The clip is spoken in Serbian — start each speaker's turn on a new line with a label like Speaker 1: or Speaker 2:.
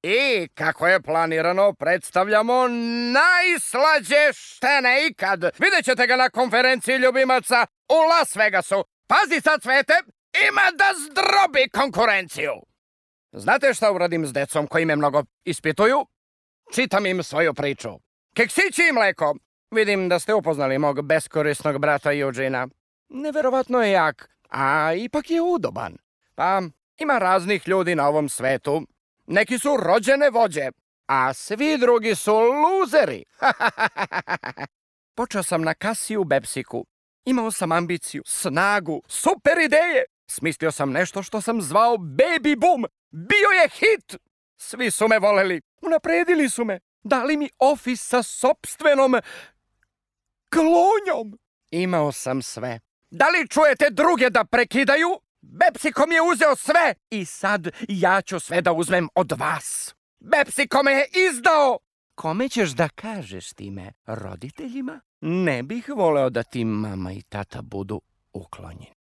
Speaker 1: I, kako je planirano, predstavljamo najslađe štene ikad. Vidjet ćete ga na konferenciji ljubimaca u Las Vegasu. Pazi sad, Cvete, ima da zdrobi konkurenciju. Znate šta uradim s decom koji me mnogo ispituju? Čitam im svoju priču. Keksići i mleko. Vidim da ste upoznali mog beskorisnog brata Eugena. Neverovatno je jak, a ipak je udoban. Pa, ima raznih ljudi na ovom svetu. Neki su rođene vođe, a svi drugi su luzeri. Počeo sam na kasi u Bepsiku. Imao sam ambiciju, snagu, super ideje. Smislio sam nešto što sam zvao Baby Boom. Bio je hit. Svi su me voleli. Unapredili su me. Dali mi ofis sa sopstvenom klonjom. Imao sam sve. Da li čujete druge da prekidaju? Bepsiko mi je uzeo sve i sad ja ću sve da uzmem od vas. Bepsiko me je izdao. Kome ćeš da kažeš time? Roditeljima? Ne bih voleo da ti mama i tata budu uklonjeni.